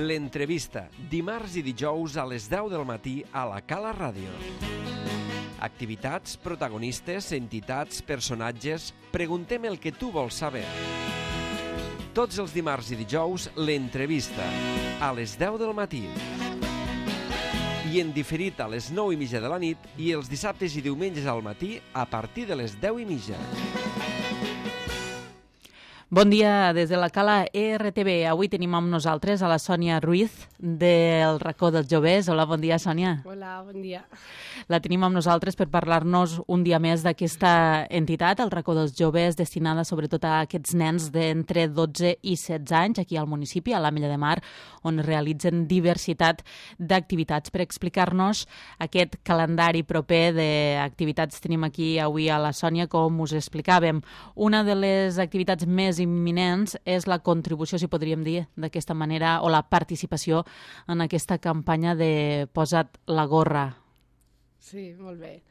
L'entrevista, dimarts i dijous a les 10 del matí a la Cala Ràdio. Activitats, protagonistes, entitats, personatges... Preguntem el que tu vols saber. Tots els dimarts i dijous, l'entrevista, a les 10 del matí. I en diferit a les 9:30 de la nit i els dissabtes i diumenges al matí a partir de les 10:30. Bon dia des de la Cala ERTB. Avui tenim amb nosaltres a la Sònia Ruiz del racó dels joves. Hola, bon dia, Sònia. Hola, bon dia. La tenim amb nosaltres per parlar-nos un dia més d'aquesta entitat, el racó dels joves, destinada sobretot a aquests nens d'entre 12 i 16 anys, aquí al municipi, a l'Ametlla de Mar, on es realitzen diversitat d'activitats. Per explicar-nos aquest calendari proper d'activitats tenim aquí avui a la Sònia, com us explicàvem. Una de les activitats més imminents és la contribució, si podríem dir d'aquesta manera, o la participació en aquesta campanya de Posa't la gorra. Sí, molt bé.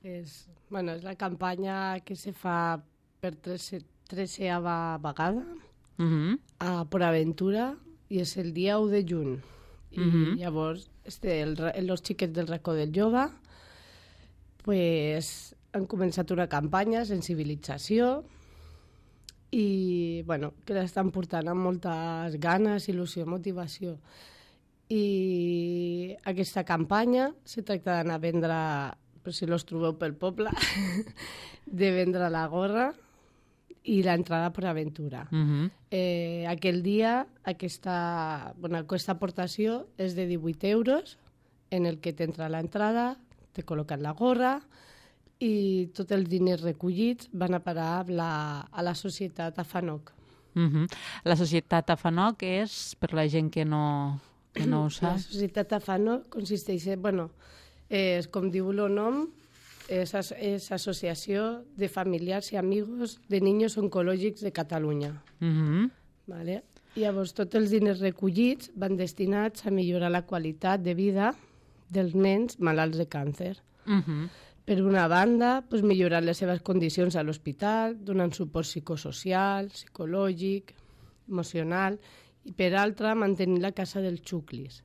És la campanya que se fa per 13a vegada a PortAventura i és el dia 1 de juny. I llavors els xiquets del racó del jove han començat una campanya, sensibilització, i que l'estan portant amb moltes ganes, il·lusió, motivació. I aquesta campanya se tracta d'anar a vendre, per si els trobeu pel poble, de vendre la gorra i l'entrada a PortAventura. Aquell dia aquesta aportació és de 18 euros, en el que t'entra l'entrada, te col·loquen la gorra, i tots els diners recollits van a parar a la societat AFANOC. La societat AFANOC és, per la gent que no ho sap... La societat AFANOC consisteix, és com diu el nom, és Associació de Familiars i Amigos de Niños Oncològics de Catalunya. Vale? Llavors, tots els diners recollits van destinats a millorar la qualitat de vida dels nens malalts de càncer. Per una banda, millorar les seves condicions a l'hospital, donant suport psicosocial, psicològic, emocional, i per altra, mantenir la casa dels xuclis,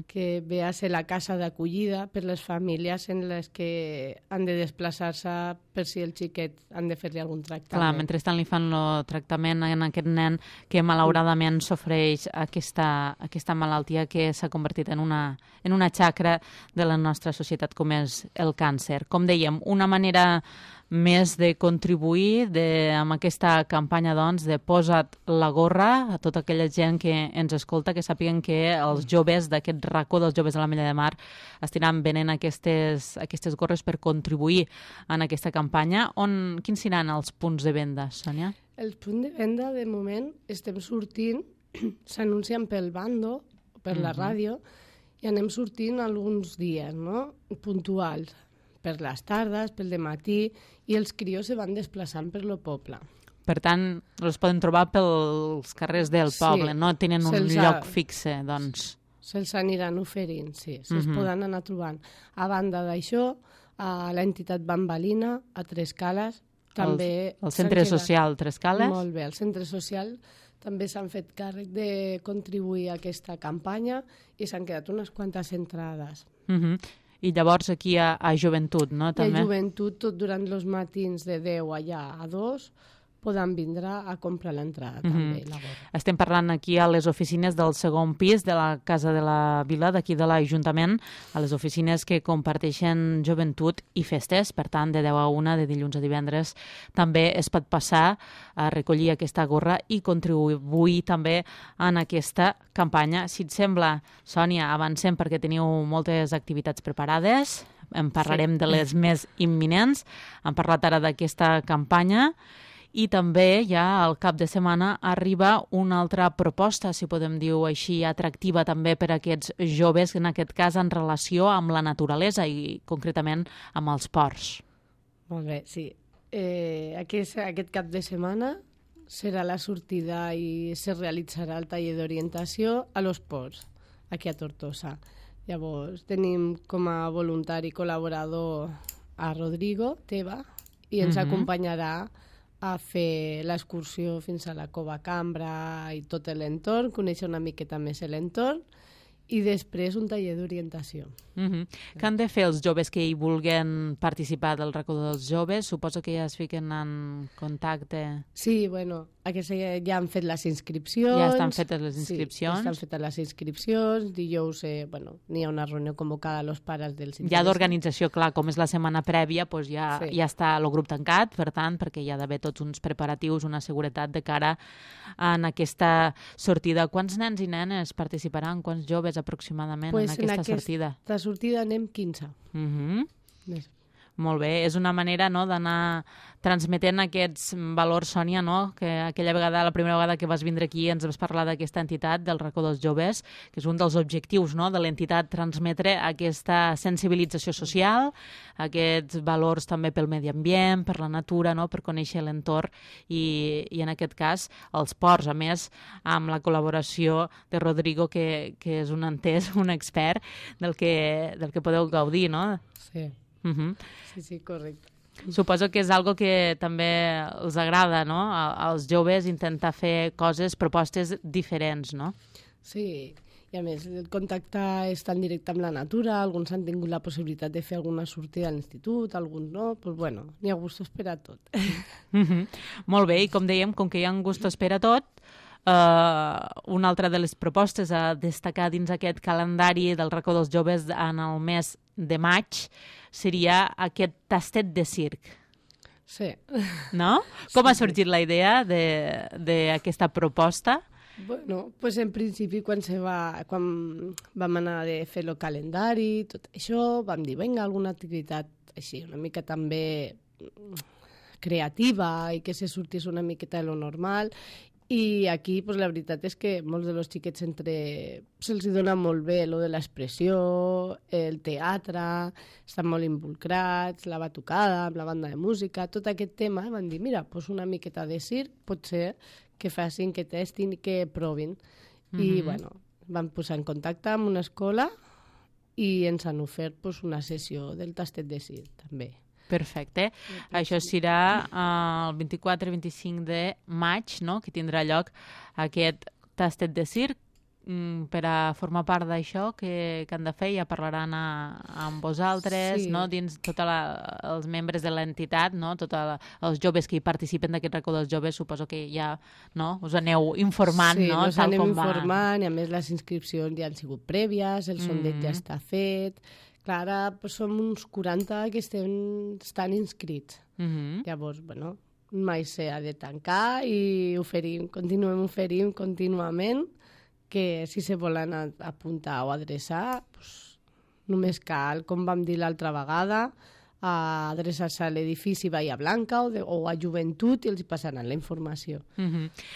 que ve a ser la casa d'acollida per les famílies en les que han de desplaçar-se per si el xiquet han de fer-li algun tractament. Clar, mentrestant li fan el tractament a aquest nen que malauradament sofreix aquesta malaltia que s'ha convertit en una xacra de la nostra societat, com és el càncer. Com dèiem, una manera més de contribuir amb aquesta campanya de Posa't la gorra a tota aquella gent que ens escolta, que sàpiguen que els joves d'aquest racó dels joves de l'Ametlla de Mar estaran venent aquestes gorres per contribuir en aquesta campanya. Quins seran els punts de venda, Sònia? Els punts de venda, de moment, estem sortint, s'anuncien pel bando, per la ràdio, i anem sortint alguns dies, puntuals, per les tardes, pel dematí, i els crios se van desplaçant per el poble. Per tant, els poden trobar pels carrers del poble, no tenen un lloc fixe, doncs. Se'ls aniran oferint, sí, se'ls poden anar trobant. A banda d'això, a l'entitat Bambalina, a Tres Cales, també... El centre social Tres Cales? Molt bé, el centre social també s'han fet càrrec de contribuir a aquesta campanya i s'han quedat unes quantes entrades. I llavors aquí a Joventut, no? També. A Joventut, tot durant els matins de 10 allà a 2, poden vindre a comprar l'entrada també, la gorra. Estem parlant aquí a les oficines del segon pis de la Casa de la Vila, d'aquí de l'Ajuntament, a les oficines que comparteixen Joventut i festes, per tant, de 10 a 1, de dilluns a divendres, també es pot passar a recollir aquesta gorra i contribuir també en aquesta campanya. Si et sembla, Sònia, avancem perquè teniu moltes activitats preparades, en parlarem de les més imminents, hem parlat ara d'aquesta campanya, i també ja al cap de setmana arriba una altra proposta, si podem dir-ho així, atractiva també per a aquests joves, en aquest cas en relació amb la naturalesa i concretament amb els ports. Molt bé, sí. Aquest cap de setmana serà la sortida i se realitzarà el taller d'orientació a los ports, aquí a Tortosa. Llavors tenim com a voluntari col·laborador a Rodrigo Teva i ens acompanyarà a fer l'excursió fins a la Cova Cambra i tot l'entorn, conèixer una miqueta més l'entorn, i després un taller d'orientació. Què han de fer els joves que hi vulguen participar del racó dels joves? Suposo que ja es fiquen en contacte. Sí, bueno, ja han fet les inscripcions. Ja estan fetes les inscripcions. Sí, estan fetes les inscripcions. Dijous n'hi ha una reunió convocada a los pares dels Ja d'organització, clar, com és la setmana prèvia, doncs ja està el grup tancat, per tant, perquè hi ha d'haver tots uns preparatius, una seguretat de cara en aquesta sortida. Quants nens i nenes participaran? Quants joves aproximadament en aquesta sortida? En aquesta sortida anem 15. Molt bé, és una manera, no, d'anar transmetent aquests valors, Sònia, no? Que aquella vegada, la primera vegada que vas vindre aquí ens vas parlar d'aquesta entitat, del racó dels joves, que és un dels objectius, no, de l'entitat, transmetre aquesta sensibilització social, aquests valors també pel medi ambient, per la natura, no, per conèixer l'entorn i en aquest cas els ports, a més amb la col·laboració de Rodrigo, que és un entès, un expert del que podeu gaudir, no? Sí. Sí, correcte. Suposo que és algo que també els agrada, no? Als joves intentar fer coses, propostes diferents, no? Sí, i a més el contacte és tan directe amb la natura, alguns han tingut la possibilitat de fer alguna sortida a l'institut, alguns no, doncs bueno, n'hi ha gustos per a tot. Molt bé, i com dèiem, com que hi ha gustos per a tot, una altra de les propostes a destacar dins aquest calendari del racó dels joves en el mes de maig seria aquest tastet de circ. Sí. No? Com ha sorgit la idea d'aquesta proposta? Bueno, pues en principi quan vam anar a fer el calendari, tot això, vam dir, vinga, alguna activitat així, una mica també creativa i que se sortís una miqueta de lo normal. I aquí, pues, la veritat és que molts dels xiquets se'ls dona molt bé lo de l'expressió, el teatre, estan molt involucrats, la batucada, amb la banda de música, tot aquest tema, van dir, mira, pues una miqueta de circ pot ser que facin, que testin i que provin. I, bueno, van posar en contacte amb una escola i ens han ofert pues, una sessió del tastet de circ, també. Perfecte. Això serà el 24-25 de maig, no?, que tindrà lloc aquest tastet de circ. Per a formar part d'això, que han de fer? Ja parlaran amb vosaltres, no?, dins tots els membres de l'entitat, no?, tots els joves que hi participen d'aquest racó dels joves, suposo que ja, no?, us aneu informant, no?, Sí, anem informant, i a més les inscripcions ja han sigut prèvies, el sondeig ja està fet. Clar, ara som uns 40 que estan inscrits. Llavors, bueno, mai s'ha de tancar i continuem oferint contínuament, que si se volen apuntar o adreçar, només cal, com vam dir l'altra vegada, adreçar-se a l'edifici Bahia Blanca o a Joventut i els passaran la informació.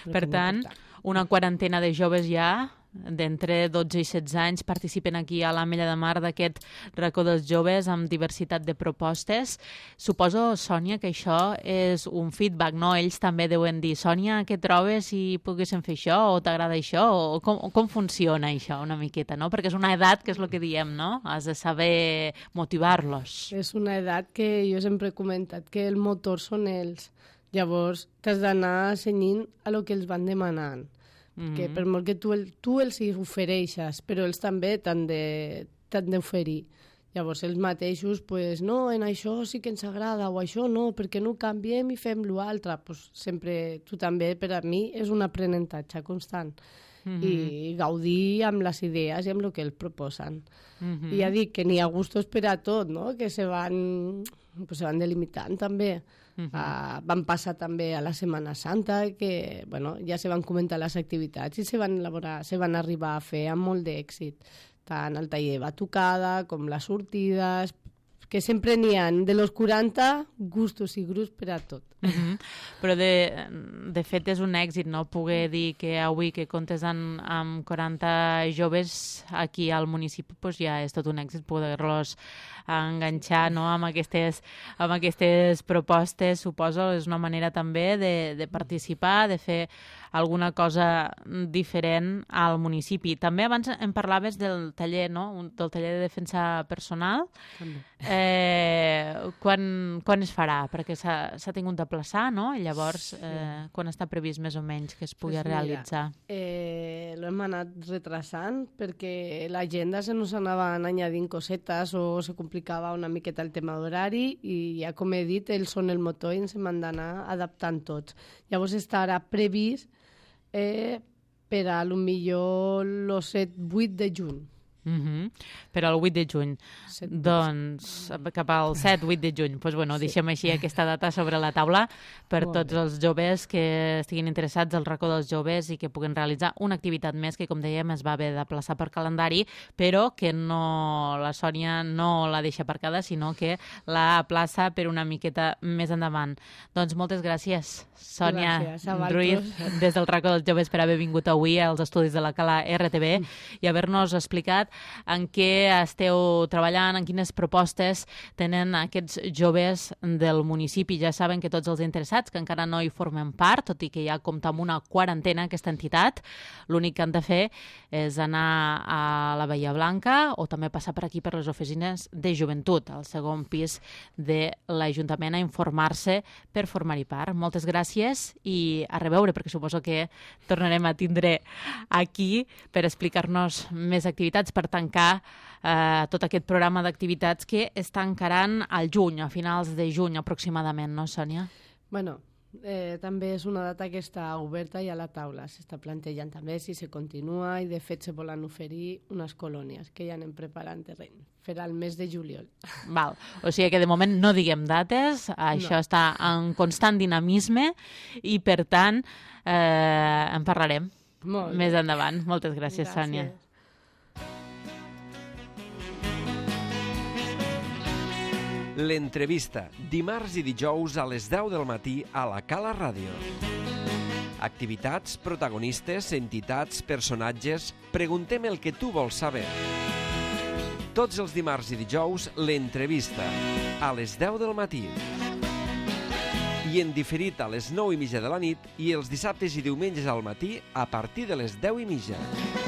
Per tant, una quarantena de joves ja d'entre 12 i 16 anys participen aquí a l'Ametlla de Mar d'aquest racó dels joves amb diversitat de propostes. Suposo, Sònia, que això és un feedback, no? Ells també deuen dir, Sònia, què trobes si poguéssim fer això? O t'agrada això? O com funciona això una miqueta, no? Perquè és una edat que és el que diem, no? Has de saber motivar-los. És una edat que jo sempre he comentat que el motor són ells. Llavors, t'has d'anar cenyint a lo que els van demanant. Que per molt que tu els hi ofereixes, però ells també t'han d'oferir. Llavors ells mateixos, pues, no, en això sí que ens agrada, o això no, perquè no ho canviem i fem l'altre. Pues, sempre, tu també, per a mi, és un aprenentatge constant. I gaudir amb les idees i amb el que ells proposen. I ja dic que n'hi ha gustos per a tot, no?, que se van delimitant també. Van passar també a la Setmana Santa, que bueno, ja se van comentar les activitats i se van arribar a fer amb molt d'èxit, tant el taller de batucada com les sortides, que sempre n'hi ha de los 40 gustos i grups per a tot. Però de fet és un èxit, no?, poder dir que avui que comptes amb 40 joves aquí al municipi, doncs ja és tot un èxit poder-los enganxar, no?, amb aquestes propostes. Suposo és una manera també de participar, de fer alguna cosa diferent al municipi. També abans em parlaves del taller, no?, del taller de defensa personal. Quan es farà? Perquè s'ha tingut de aplaçar, no? I llavors, quan està previst més o menys que es pugui realitzar? L'hem anat retrasant perquè l'agenda se nos anaven añadint cosetes o se complicava una miqueta el tema d'horari i ja com he dit, ells són el motor i ens hem d'anar adaptant tots. Llavors estarà previst per a lo millor el 7-8 de juny. Però el 8 de juny, doncs cap al 7-8 de juny, doncs bueno, deixem així aquesta data sobre la taula per tots els joves que estiguin interessats al racó dels joves i que puguen realitzar una activitat més que, com dèiem, es va haver de plaçar per calendari, però que la Sònia no la deixa aparcada, sinó que la plaça per una miqueta més endavant. Doncs moltes gràcies, Sònia Ruiz, des del racó dels joves, per haver vingut avui als estudis de la Cala RTV i haver-nos explicat en què esteu treballant, en quines propostes tenen aquests joves del municipi. Ja saben que tots els interessats que encara no hi formen part, tot i que ja compta amb una quarantena aquesta entitat, l'únic que han de fer és anar a la Bahia Blanca o també passar per aquí per les oficines de joventut, al segon pis de l'Ajuntament, a informar-se per formar-hi part. Moltes gràcies i a reveure, perquè suposo que tornarem a tindre aquí per explicar-nos més activitats, per tancar tot aquest programa d'activitats que està encarant al juny, a finals de juny aproximadament, no, Sònia? Bueno, també és una data que està oberta i a la taula. S'està plantejant també si se continua i de fet se volen oferir unes colònies que ja anem preparant terreny. Farà el mes de juliol. Val. O sigui que de moment no diguem dates, això està en constant dinamisme i per tant en parlarem més endavant. Moltes gràcies, Sònia. L'entrevista, dimarts i dijous a les 10 del matí a la Cala Ràdio. Activitats, protagonistes, entitats, personatges... Preguntem el que tu vols saber. Tots els dimarts i dijous, l'entrevista, a les 10 del matí. I en diferit a les 9:30 de la nit i els dissabtes i diumenges al matí a partir de les 10:30.